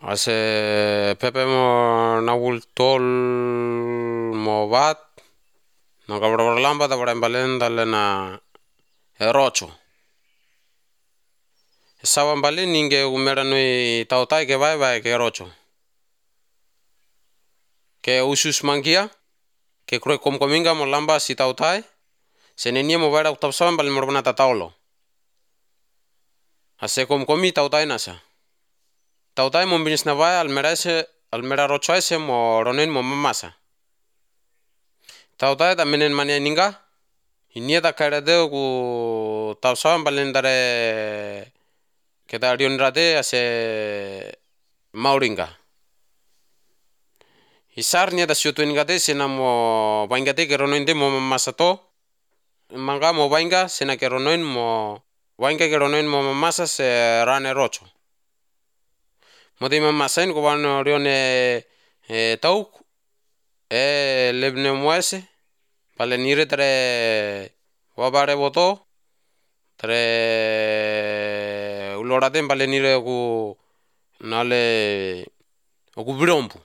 Ase pepe mo nagul tol mo bat no kabra lamba da bra balenda lena erocho. Sawa mbali ninge umera noi tautai ke vai ke rocho. Ke usus mangia ke kroe kominga mo lamba si tautai senenia mo vai tau sawa mbali mo bana taulo. Ase komi tautai nasa. Tautai mo binis na vai almera rocho ese mo ronen mo mamasa. Tautai da menen mania ninga inia da kare de ku tau sawa mbali ndare kita rion rade ase mauringa. Isarnya da siutu ingate sena mo baingate ke ronoinde mo mamasato manga mo bainga sena ke ronoin mo bainga ke ronoin mo mamasa se rane rocho. Modi mamasain ko ban rione tauk lebne moese pale nire tre wabare boto tre ulorate pale nire ku nale oku birompu